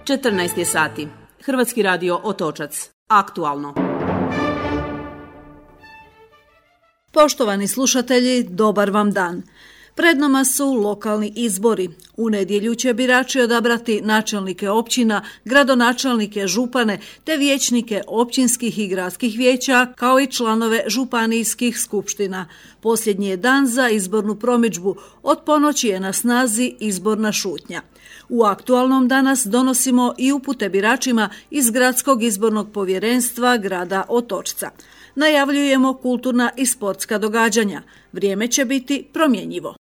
14 je sati. Hrvatski radio Otočac. Aktualno. Poštovani slušatelji, dobar vam dan. Pred nama su lokalni izbori. U nedjelju će birači odabrati načelnike općina, gradonačelnike, župane te vijećnike općinskih i gradskih vijeća kao i članove županijskih skupština. Posljednji je dan za izbornu promidžbu. Od ponoći je na snazi izborna šutnja. U aktualnom danas donosimo i upute biračima iz Gradskog izbornog povjerenstva grada Otočca. Najavljujemo kulturna i sportska događanja. Vrijeme će biti promjenjivo.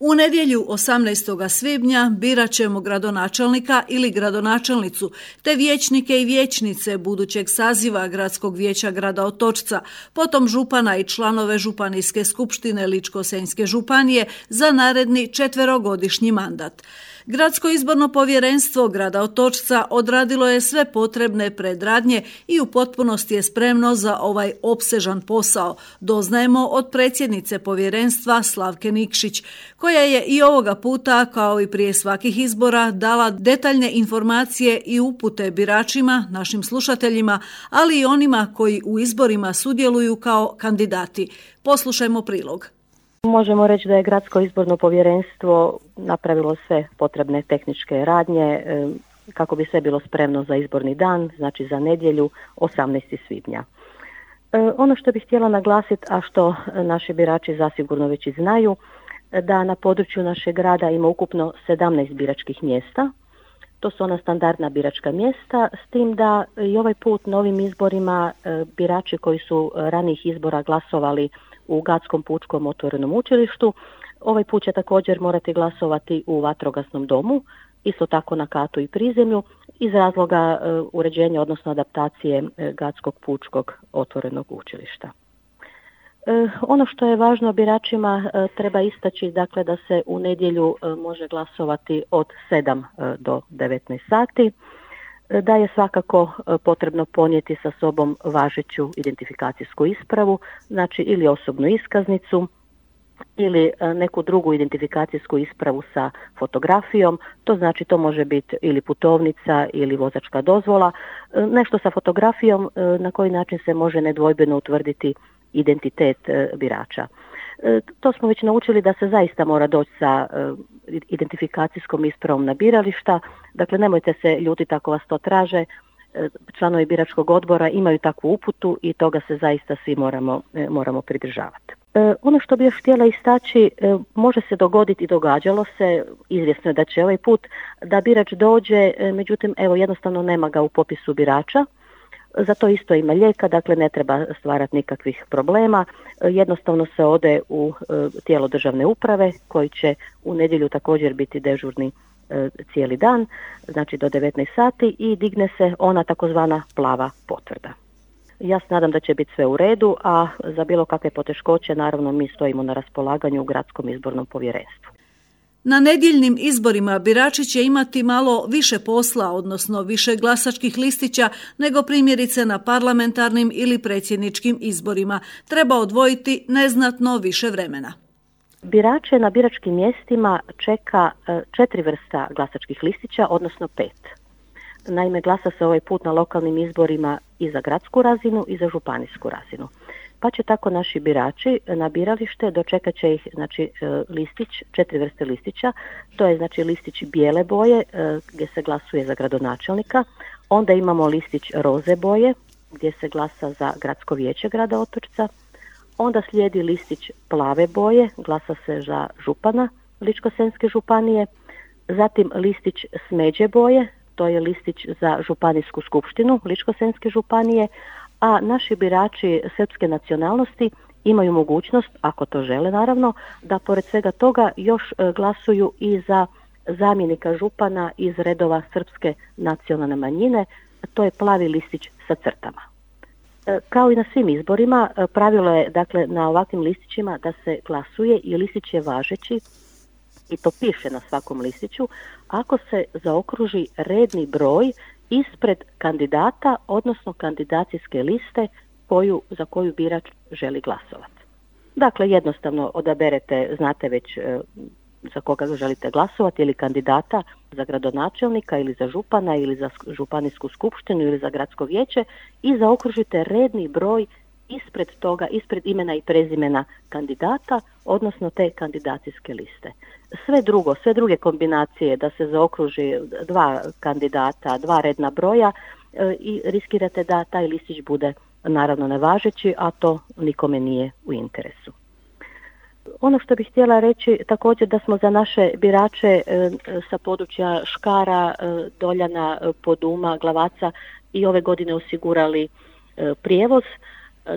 U nedjelju 18. svibnja birat ćemo gradonačelnika ili gradonačelnicu, te vijećnike i vijećnice budućeg saziva Gradskog vijeća grada Otočca, potom župana i članove Županijske skupštine Ličko-senjske županije za naredni 4-godišnji mandat. Gradsko izborno povjerenstvo grada Otočca odradilo je sve potrebne predradnje i u potpunosti je spremno za ovaj opsežan posao, doznajemo od predsjednice povjerenstva Slavke Nikšić, koja je i ovoga puta, kao i prije svakih izbora, dala detaljne informacije i upute biračima, našim slušateljima, ali i onima koji u izborima sudjeluju kao kandidati. Poslušajmo prilog. Možemo reći da je Gradsko izborno povjerenstvo napravilo sve potrebne tehničke radnje kako bi sve bilo spremno za izborni dan, znači za nedjelju 18. svibnja. Ono što bih htjela naglasiti, a što naši birači zasigurno već i znaju, da na području našeg grada ima ukupno 17 biračkih mjesta. To su ona standardna biračka mjesta, s tim da i ovaj put na ovim izborima birači koji su ranijih izbora glasovali u Gadskom pučkom otvorenom učilištu, ovaj put će također morati glasovati u vatrogasnom domu, isto tako na katu i prizemlju, iz razloga uređenja, odnosno adaptacije Gadskog pučkog otvorenog učilišta. Ono što je važno biračima treba istaći, dakle, da se u nedjelju može glasovati od 7 do 19 sati, da je svakako potrebno ponijeti sa sobom važeću identifikacijsku ispravu, znači ili osobnu iskaznicu ili neku drugu identifikacijsku ispravu sa fotografijom, to znači to može biti ili putovnica ili vozačka dozvola, nešto sa fotografijom na koji način se može nedvojbeno utvrditi identitet birača. To smo već naučili da se zaista mora doći sa identifikacijskom ispravom na birališta, dakle nemojte se ljutiti ako vas to traže, članovi biračkog odbora imaju takvu uputu i toga se zaista svi moramo pridržavati. Ono što bih još htjela istaći, može se dogoditi i događalo se, izvjesno je da će ovaj put, da birač dođe, međutim evo jednostavno nema ga u popisu birača. Za to isto ima lijeka, dakle ne treba stvarati nikakvih problema. Jednostavno se ode u tijelo državne uprave koji će u nedjelju također biti dežurni cijeli dan, znači do 19 sati i digne se ona takozvana plava potvrda. Ja se nadam da će biti sve u redu, a za bilo kakve poteškoće naravno mi stojimo na raspolaganju u Gradskom izbornom povjerenstvu. Na nedjeljnim izborima birači će imati malo više posla, odnosno više glasačkih listića nego primjerice na parlamentarnim ili predsjedničkim izborima. Treba odvojiti neznatno više vremena. Birače na biračkim mjestima čeka 4 vrsta glasačkih listića, odnosno 5. Naime, glasa se ovaj put na lokalnim izborima i za gradsku razinu i za županijsku razinu. Pa će tako naši birači na biralište dočekat će ih, znači, listić, 4 vrste listića, to je znači listić bijele boje gdje se glasuje za gradonačelnika, onda imamo listić roze boje gdje se glasa za Gradsko vijeće grada Otočca, onda slijedi listić plave boje, glasa se za župana Ličko-senjske županije, zatim listić smeđe boje, to je listić za Županijsku skupštinu Ličko-senjske županije, a naši birači srpske nacionalnosti imaju mogućnost, ako to žele naravno, da pored svega toga još glasuju i za zamjenika župana iz redova srpske nacionalne manjine, to je plavi listić sa crtama. Kao i na svim izborima, pravilo je dakle na ovakvim listićima da se glasuje i listić je važeći, i to piše na svakom listiću, ako se zaokruži redni broj ispred kandidata, odnosno kandidacijske liste za koju birač želi glasovati. Dakle, jednostavno odaberete, znate već za koga želite glasovati, ili kandidata za gradonačelnika ili za župana ili za županijsku skupštinu ili za gradsko vijeće i zaokružite redni broj ispred toga, ispred imena i prezimena kandidata, odnosno te kandidacijske liste. Sve druge kombinacije da se zaokruži 2 kandidata, 2 redna broja i riskirate da taj listić bude naravno nevažeći, a to nikome nije u interesu. Ono što bih htjela reći također da smo za naše birače sa područja Škara, Doljana, Poduma, Glavaca i ove godine osigurali prijevoz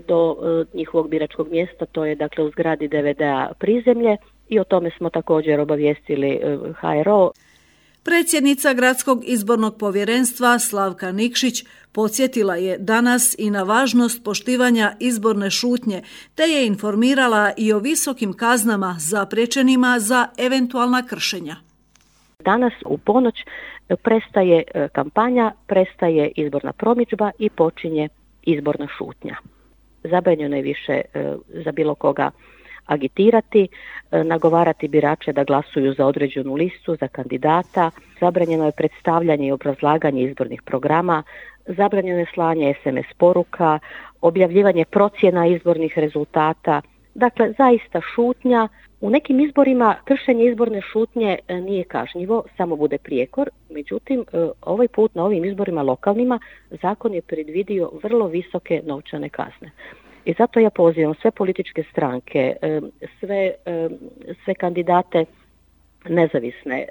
do njihovog biračkog mjesta, to je dakle u zgradi DVD-a Prizemlje, i o tome smo također obavijestili HRO. Predsjednica Gradskog izbornog povjerenstva Slavka Nikšić podsjetila je danas i na važnost poštivanja izborne šutnje, te je informirala i o visokim kaznama zapriječenima za eventualna kršenja. Danas u ponoć prestaje kampanja, prestaje izborna promidžba i počinje izborna šutnja. Zabranjeno je više za bilo koga agitirati, nagovarati birače da glasuju za određenu listu, za kandidata, zabranjeno je predstavljanje i obrazlaganje izbornih programa, zabranjeno je slanje SMS poruka, objavljivanje procjena izbornih rezultata. Dakle, zaista šutnja. U nekim izborima kršenje izborne šutnje nije kažnjivo, samo bude prijekor. Međutim, ovaj put na ovim izborima lokalnima zakon je predvidio vrlo visoke novčane kazne. I zato ja pozivam sve političke stranke, sve kandidate nezavisne,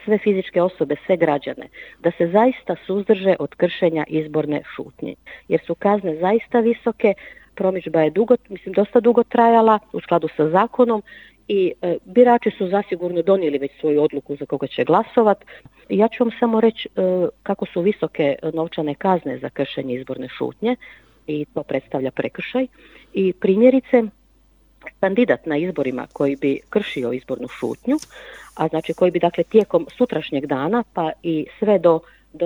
sve fizičke osobe, sve građane, da se zaista suzdrže od kršenja izborne šutnje. Jer su kazne zaista visoke, promidžba je dosta dugo trajala u skladu sa zakonom i birači su zasigurno donijeli već svoju odluku za koga će glasovati. Ja ću vam samo reći kako su visoke novčane kazne za kršenje izborne šutnje i to predstavlja prekršaj. I primjerice, kandidat na izborima koji bi kršio izbornu šutnju, a znači koji bi dakle tijekom sutrašnjeg dana pa i sve do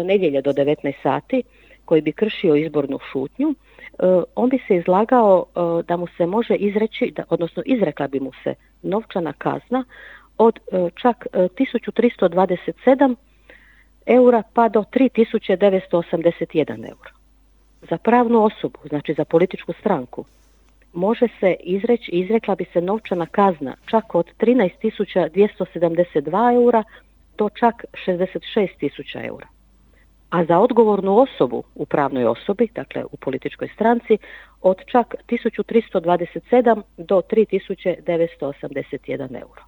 nedjelje do 19 sati koji bi kršio izbornu šutnju, on bi se izlagao da mu se može izreći, odnosno izrekla bi mu se novčana kazna od čak 1327 eura pa do 3981 eura. Za pravnu osobu, znači za političku stranku, može se izrekla bi se novčana kazna čak od 13.272 eura do čak 66.000 eura. A za odgovornu osobu u pravnoj osobi, dakle u političkoj stranci, od čak 1327 do 3981 euro.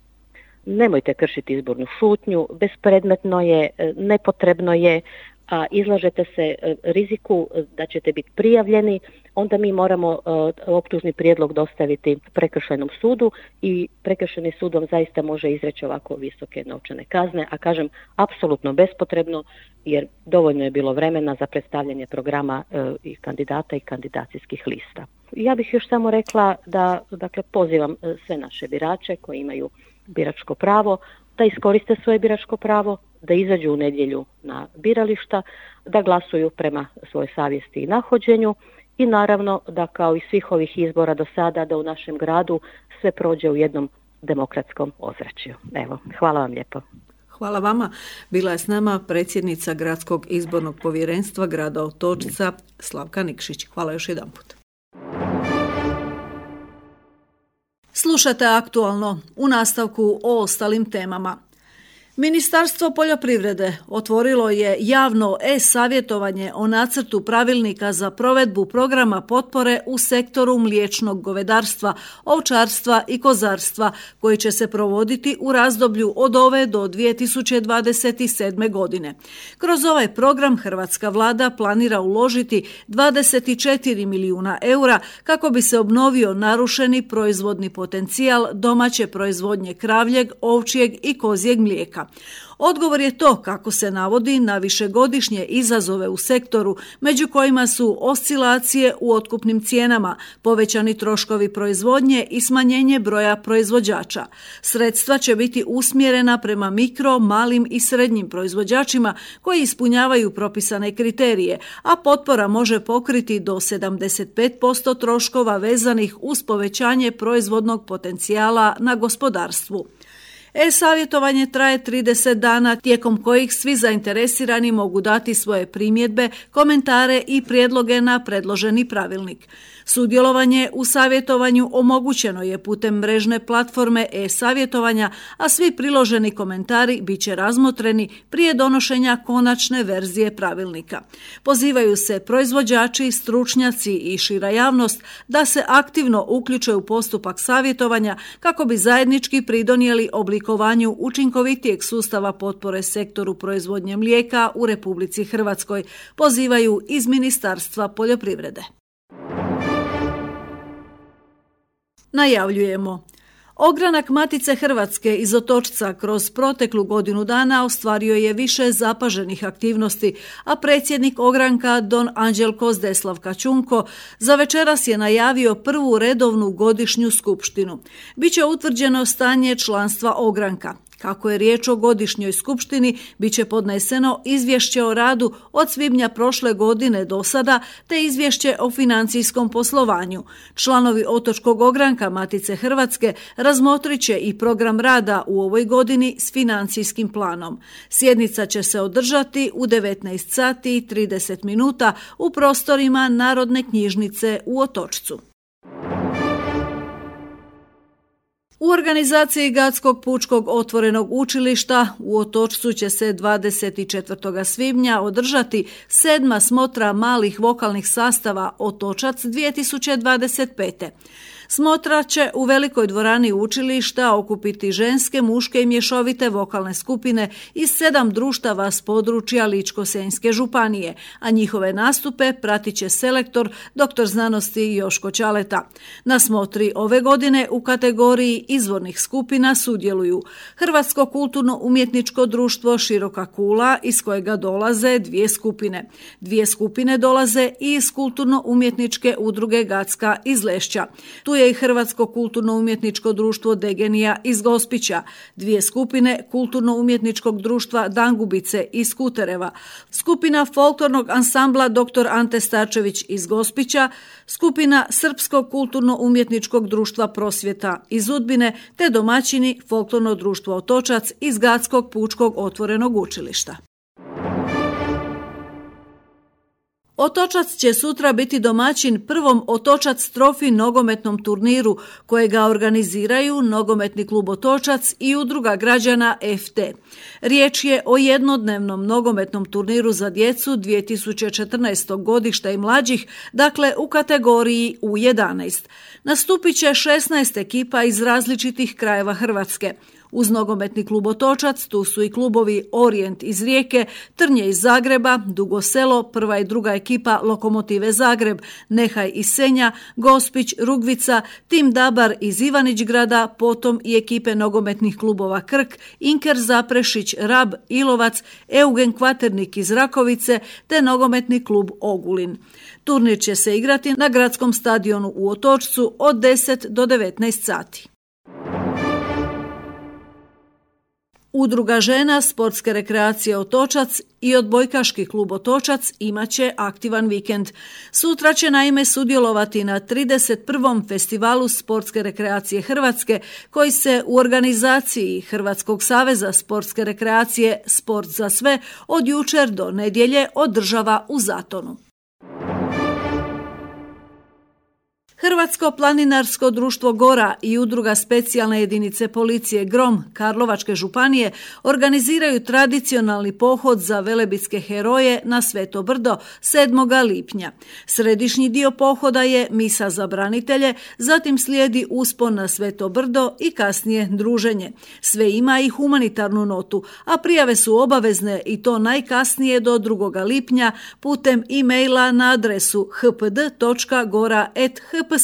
Nemojte kršiti izbornu šutnju, bespredmetno je, nepotrebno je, a izlažete se riziku da ćete biti prijavljeni, onda mi moramo optužni prijedlog dostaviti prekršajnom sudu i prekršajni sud vam zaista može izreći ovako visoke novčane kazne, a kažem apsolutno bespotrebno jer dovoljno je bilo vremena za predstavljanje programa i kandidata i kandidacijskih lista. Ja bih još samo rekla da dakle, pozivam sve naše birače koji imaju biračko pravo da iskoriste svoje biračko pravo, da izađu u nedjelju na birališta, da glasuju prema svojoj savjesti i nahođenju i naravno da kao i svih ovih izbora do sada da u našem gradu sve prođe u jednom demokratskom ozračju. Evo, hvala vam lijepo. Hvala vama. Bila je s nama predsjednica Gradskog izbornog povjerenstva grada Otočca Slavka Nikšić. Hvala još jedanput. Slušate Aktualno, u nastavku o ostalim temama. Ministarstvo poljoprivrede otvorilo je javno e-savjetovanje o nacrtu pravilnika za provedbu programa potpore u sektoru mliječnog govedarstva, ovčarstva i kozarstva koji će se provoditi u razdoblju od ove do 2027. godine. Kroz ovaj program hrvatska vlada planira uložiti 24 milijuna eura kako bi se obnovio narušeni proizvodni potencijal domaće proizvodnje kravljeg, ovčjeg i kozjeg mlijeka. Odgovor je to, kako se navodi, na višegodišnje izazove u sektoru, među kojima su oscilacije u otkupnim cijenama, povećani troškovi proizvodnje i smanjenje broja proizvođača. Sredstva će biti usmjerena prema mikro, malim i srednjim proizvođačima koji ispunjavaju propisane kriterije, a potpora može pokriti do 75% troškova vezanih uz povećanje proizvodnog potencijala na gospodarstvu. E-savjetovanje traje 30 dana tijekom kojih svi zainteresirani mogu dati svoje primjedbe, komentare i prijedloge na predloženi pravilnik. Sudjelovanje u savjetovanju omogućeno je putem mrežne platforme e-savjetovanja, a svi priloženi komentari bit će razmotreni prije donošenja konačne verzije pravilnika. Pozivaju se proizvođači, stručnjaci i šira javnost da se aktivno uključe u postupak savjetovanja kako bi zajednički pridonijeli oblikovanju učinkovitijeg sustava potpore sektoru proizvodnje mlijeka u Republici Hrvatskoj, pozivaju iz Ministarstva poljoprivrede. Najavljujemo. Ogranak Matice Hrvatske iz Otočca kroz proteklu godinu dana ostvario je više zapaženih aktivnosti, a predsjednik ogranka Don Anđelko Zdeslav Kačunko za večeras je najavio prvu redovnu godišnju skupštinu. Biće utvrđeno stanje članstva ogranka. Kako je riječ o godišnjoj skupštini, bit će podneseno izvješće o radu od svibnja prošle godine do sada, te izvješće o financijskom poslovanju. Članovi Otočkog ogranka Matice Hrvatske razmotrit će i program rada u ovoj godini s financijskim planom. Sjednica će se održati u 19 sati i 30 minuta u prostorima Narodne knjižnice u Otočcu. U organizaciji Gatskog pučkog otvorenog učilišta u Otočcu će se 24. svibnja održati 7. smotra malih vokalnih sastava Otočac 2025. Smotra će u velikoj dvorani učilišta okupiti ženske, muške i mješovite vokalne skupine iz 7 društava s područja Ličko-senjske županije, a njihove nastupe pratit će selektor dr. znanosti Joško Ćaleta. Na smotri ove godine u kategoriji izvornih skupina sudjeluju Hrvatsko kulturno-umjetničko društvo Široka kula, iz kojega dolaze 2 skupine. 2 skupine dolaze i iz kulturno-umjetničke udruge Gatska iz Lešća. Tu je i Hrvatsko kulturno-umjetničko društvo Degenija iz Gospića, 2 skupine kulturno-umjetničkog društva Dangubice iz Kutereva, skupina folklornog ansambla dr. Ante Starčević iz Gospića, skupina Srpskog kulturno-umjetničkog društva Prosvjeta iz Udbine, te domaćini folklorno društvo Otočac iz Gatskog pučkog otvorenog učilišta. Otočac će sutra biti domaćin prvom Otočac Trofi nogometnom turniru kojega organiziraju Nogometni klub Otočac i Udruga građana FT. Riječ je o jednodnevnom nogometnom turniru za djecu 2014. godišta i mlađih, dakle u kategoriji U11. Nastupit će 16 ekipa iz različitih krajeva Hrvatske. Uz Nogometni klub Otočac tu su i klubovi Orijent iz Rijeke, Trnje iz Zagreba, Dugo Selo, prva i druga ekipa Lokomotive Zagreb, Nehaj iz Senja, Gospić, Rugvica, Tim Dabar iz Ivanić-grada, potom i ekipe nogometnih klubova Krk, Inker Zaprešić, Rab, Ilovac, Eugen Kvaternik iz Rakovice te Nogometni klub Ogulin. Turnir će se igrati na gradskom stadionu u Otočcu od 10 do 19 sati. Udruga žena sportske rekreacije Otočac i odbojkaški klub Otočac imat će aktivan vikend. Sutra će naime sudjelovati na 31. festivalu sportske rekreacije Hrvatske koji se u organizaciji Hrvatskog saveza sportske rekreacije Sport za sve od jučer do nedjelje održava u Zatonu. Hrvatsko planinarsko društvo Gora i Udruga specijalne jedinice policije Grom Karlovačke županije organiziraju tradicionalni pohod za velebitske heroje na Sveto Brdo 7. lipnja. Središnji dio pohoda je misa za branitelje, zatim slijedi uspon na Sveto Brdo i kasnije druženje. Sve ima i humanitarnu notu, a prijave su obavezne i to najkasnije do 2. lipnja putem e-maila na adresu hpd.gora@hps.hr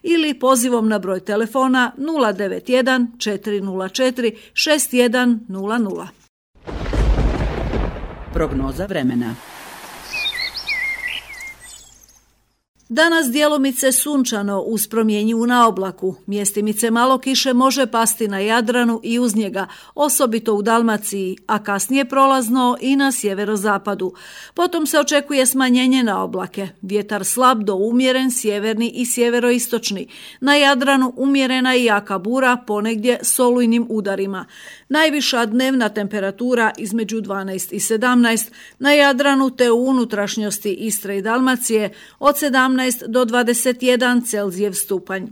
ili pozivom na broj telefona 091 404 6100. Prognoza vremena. Danas djelomice sunčano uz promjenjivu naoblaku. Mjestimice malo kiše može pasti na Jadranu i uz njega, osobito u Dalmaciji, a kasnije prolazno i na sjeverozapadu. Potom se očekuje smanjenje naoblake. Vjetar slab do umjeren, sjeverni i sjeveroistočni. Na Jadranu umjerena i jaka bura, ponegdje s olujnim udarima. Najviša dnevna temperatura između 12 i 17, na Jadranu te u unutrašnjosti Istre i Dalmacije od 17 do 21 Celzijev stupanj.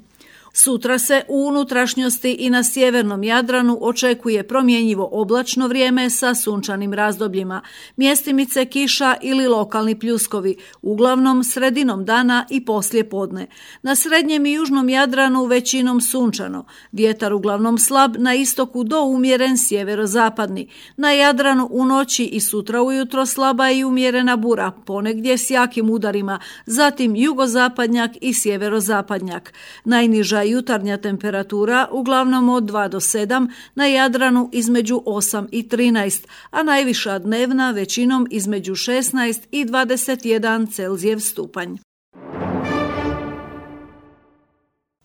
Sutra se u unutrašnjosti i na sjevernom Jadranu očekuje promjenjivo oblačno vrijeme sa sunčanim razdobljima, mjestimice kiša ili lokalni pljuskovi, uglavnom sredinom dana i poslije podne. Na srednjem i južnom Jadranu većinom sunčano, vjetar uglavnom slab, na istoku do umjeren sjeverozapadni. Na Jadranu u noći i sutra ujutro slaba i umjerena bura, ponegdje s jakim udarima, zatim jugozapadnjak i sjeverozapadnjak. Najniža jutarnja temperatura uglavnom od 2 do 7, na Jadranu između 8 i 13, a najviša dnevna većinom između 16 i 21 Celzijev stupanj.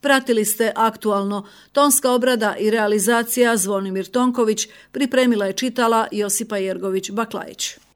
Pratili ste Aktualno. Tonska obrada i realizacija Zvonimir Tonković, pripremila je čitala Josipa Jergović-Baklajić.